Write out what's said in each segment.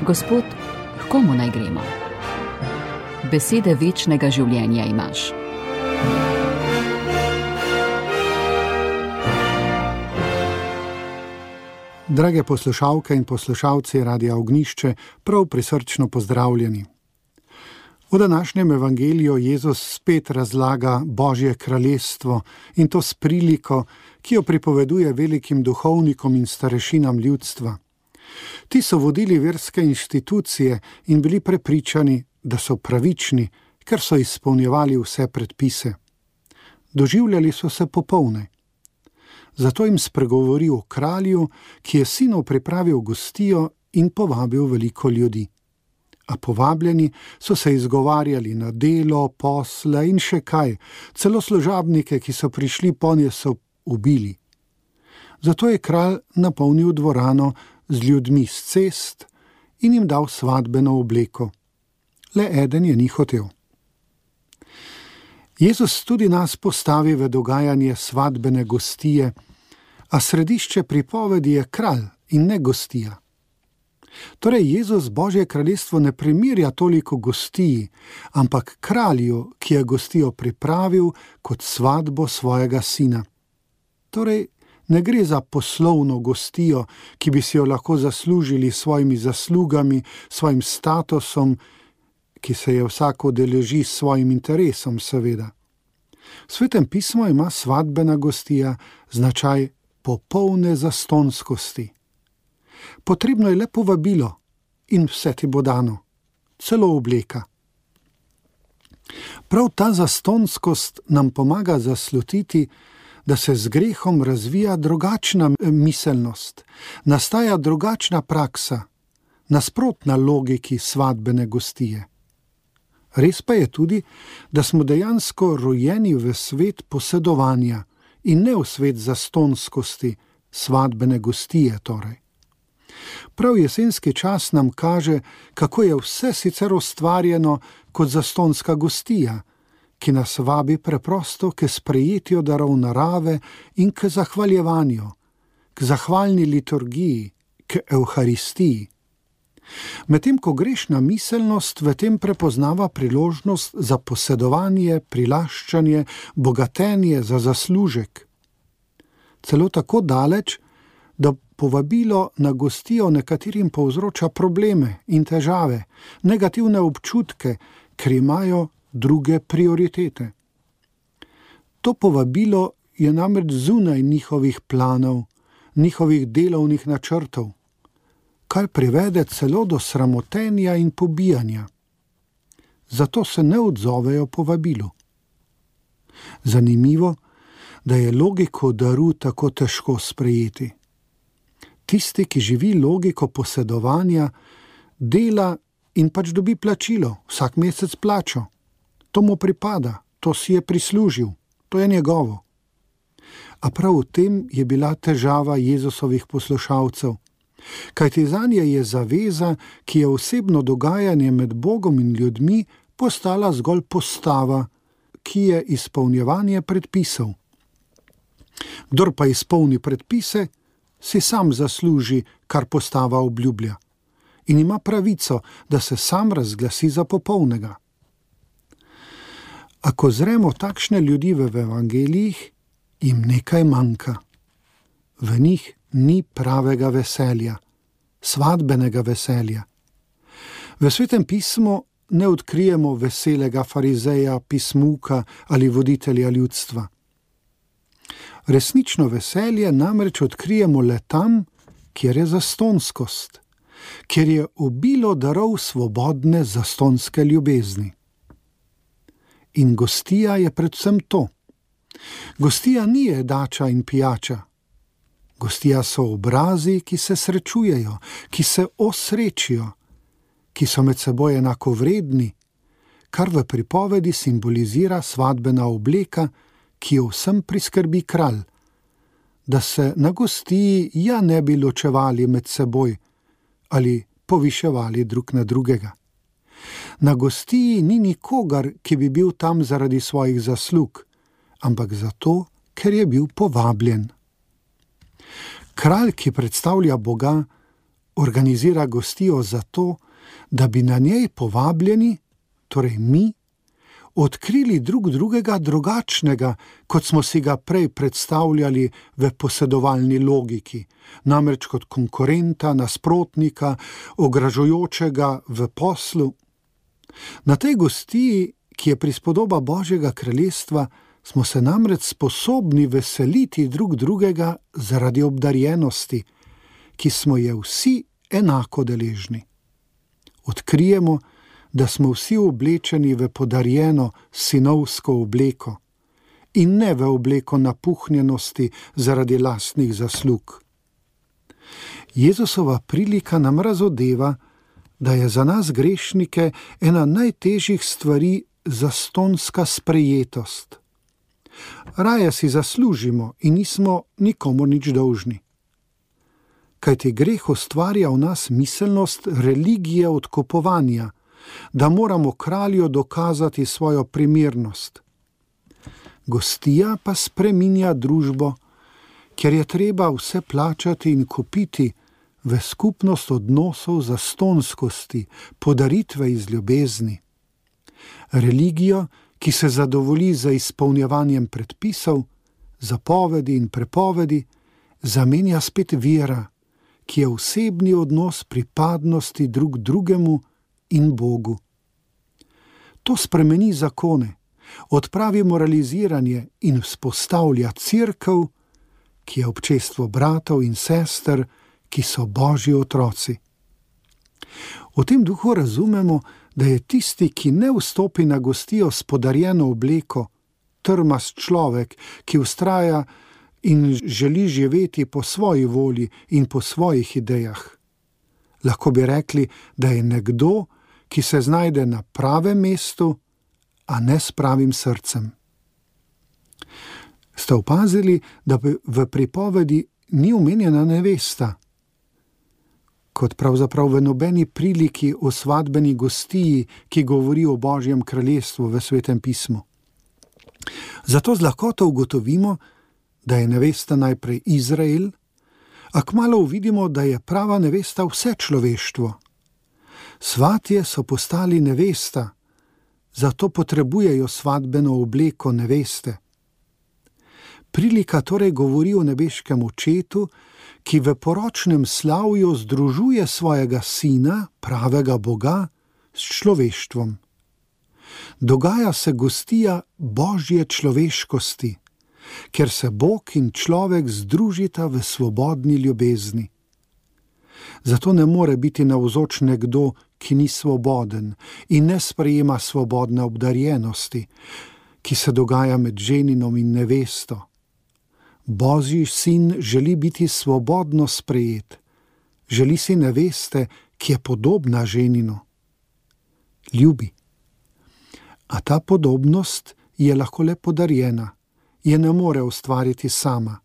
Gospod, h komu naj gremo? Besede večnega življenja imaš. Drage poslušalke in poslušalci Radia Ognjišče, prav prisrčno pozdravljeni. V današnjem evangeliju Jezus spet razlaga Božje kraljestvo in to s priliko, ki jo pripoveduje velikim duhovnikom in starešinam ljudstva. Ti so vodili verske inštitucije in bili prepričani, da so pravični, ker so izpolnjevali vse predpise. Doživljali so se popolne. Zato jim spregovori o kralju, ki je sinov pripravil gostijo in povabil veliko ljudi. A povabljeni so se izgovarjali na delo, posle in še kaj, celo služabnike, ki so prišli ponje, so ubili. Zato je kralj napolnil dvorano z ljudmi s cest in jim dal svadbeno obleko. Le eden je ni hotel. Jezus tudi nas postavi v dogajanje svadbene gostije, a središče pripovedi je kralj in ne gostija. Torej Jezus Božje kraljestvo ne primerja toliko gostiji, ampak kralju, ki je gostijo pripravil kot svadbo svojega sina. Torej ne gre za poslovno gostijo, ki bi si jo lahko zaslužili s svojimi zaslugami, svojim statusom, ki se je vsak udeleži s svojim interesom, seveda. V Svetem pismu ima svadbena gostija značaj popolne zastonskosti. Potrebno je le povabilo in vse ti bo dano, celo obleka. Prav ta zastonskost nam pomaga zaslutiti, da se z grehom razvija drugačna miselnost, nastaja drugačna praksa, nasprotna logiki svadbene gostije. Res pa je tudi, da smo dejansko rojeni v svet posedovanja in ne v svet zastonskosti, svadbene gostije torej. Prav jesenski čas nam kaže, kako je vse sicer ustvarjeno kot zastonska gostija, ki nas vabi preprosto k sprejetju darov narave in k zahvaljevanju, k zahvalni liturgiji, k evharistiji. Medtem ko grešna miselnost v tem prepoznava priložnost za posedovanje, prilaščanje, bogatenje za zaslužek. Celo tako daleč, da povabilo na gostijo nekaterim povzroča probleme in težave, negativne občutke, ker imajo druge prioritete. To povabilo je namreč zunaj njihovih planov, njihovih delovnih načrtov, kar privede celo do sramotenja in pobijanja. Zato se ne odzovejo povabilu. Zanimivo, da je logiko daru tako težko sprejeti. Tisti, ki živi logiko posedovanja, dela in pač dobi plačilo, vsak mesec plačo. To mu pripada, to si je prislužil, to je njegovo. A prav v tem je bila težava Jezusovih poslušalcev. Kajti zanje je zaveza, ki je osebno dogajanje med Bogom in ljudmi, postala zgolj postava, ki je izpolnjevanje predpisov. Kdor pa izpolni predpise, si sam zasluži, kar postava obljublja, in ima pravico, da se sam razglasi za popolnega. Ako zremo takšne ljudi v evangelijih, jim nekaj manjka. V njih ni pravega veselja, svadbenega veselja. V Svetem pismu ne odkrijemo veselega farizeja, pismuka ali voditelja ljudstva. Resnično veselje namreč odkrijemo le tam, kjer je zastonskost, kjer je obilo darov svobodne zastonske ljubezni. In gostija je predvsem to. Gostija ni jedača in pijača. Gostija so obrazi, ki se srečujejo, ki se osrečijo, ki so med seboj enakovredni, kar v pripovedi simbolizira svadbena obleka, ki jo vsem priskrbi kralj, da se na gostiji ja ne bi ločevali med seboj ali poviševali drug na drugega. Na gostiji ni nikogar, ki bi bil tam zaradi svojih zaslug, ampak zato, ker je bil povabljen. Kralj, ki predstavlja Boga, organizira gostijo zato, da bi na njej povabljeni, torej mi, odkrili drug drugega drugačnega, kot smo si ga prej predstavljali v posedovalni logiki, namreč kot konkurenta, nasprotnika, ogražujočega v poslu. Na tej gostiji, ki je prispodoba Božjega kraljestva, smo se namreč sposobni veseliti drug drugega zaradi obdarjenosti, ki smo je vsi enako deležni. Odkrijemo, da smo vsi oblečeni v podarjeno sinovsko obleko in ne v obleko napuhnjenosti zaradi lastnih zaslug. Jezusova prilika nam razodeva, da je za nas grešnike ena najtežjih stvari zastonska sprejetost. Raje si zaslužimo in nismo nikomur nič dolžni. Kajti greh ustvarja v nas miselnost religije odkupovanja, da moramo kralju dokazati svojo primernost. Gostija pa spreminja družbo, ker je treba vse plačati in kupiti v skupnost odnosov zastonskosti, podaritve iz ljubezni. Religijo, ki se zadovolji za izpolnjevanjem predpisov, zapovedi in prepovedi, zamenja spet vera, ki je osebni odnos pripadnosti drug drugemu in Bogu. To spremeni zakone, odpravi moraliziranje in vzpostavlja cerkev, ki je občestvo bratov in sester, ki so Božji otroci. V tem duhu razumemo, da je tisti, ki ne vstopi na gostijo s podarjeno obleko, trmast človek, ki vztraja in želi živeti po svoji volji in po svojih idejah. Lahko bi rekli, da je nekdo, ki se znajde na pravem mestu, a ne s pravim srcem. Ste opazili, da v pripovedi ni omenjena nevesta, kot pravzaprav v nobeni priliki o svadbeni gostiji, ki govori o Božjem kraljestvu v Svetem pismu. Zato z lahkoto ugotovimo, da je nevesta najprej Izrael, a kmalu uvidimo, da je prava nevesta vse človeštvo. Svatje so postali nevesta, zato potrebujejo svadbeno obleko neveste. Prilika torej govori o nebeškem očetu, ki v poročnem slavju združuje svojega sina, pravega Boga, s človeštvom. Dogaja se gostija Božje človeškosti, ker se Bog in človek združita v svobodni ljubezni. Zato ne more biti navzoč nekdo, ki ni svoboden in ne sprejema svobodne obdarjenosti, ki se dogaja med ženinom in nevesto. Božji sin želi biti svobodno sprejet, želi si neveste, ki je podobna ženinu. Ljubi. A ta podobnost je lahko le podarjena, je ne more ustvariti sama.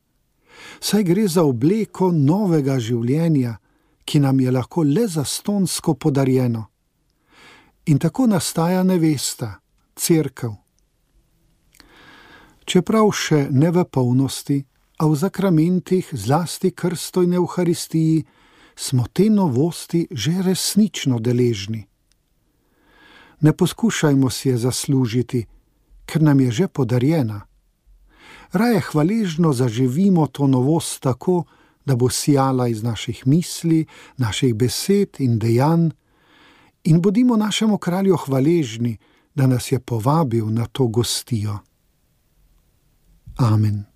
Saj gre za obleko novega življenja, ki nam je lahko le zastonsko podarjeno. In tako nastaja nevesta, cerkev. Čeprav še ne v polnosti, a v zakramentih, zlasti krstu in evharistiji, smo te novosti že resnično deležni. Ne poskušajmo si je zaslužiti, ker nam je že podarjena. Raje hvaležno zaživimo to novost tako, da bo sijala iz naših misli, naših besed in dejanj, in bodimo našemu kralju hvaležni, da nas je povabil na to gostijo. Amen.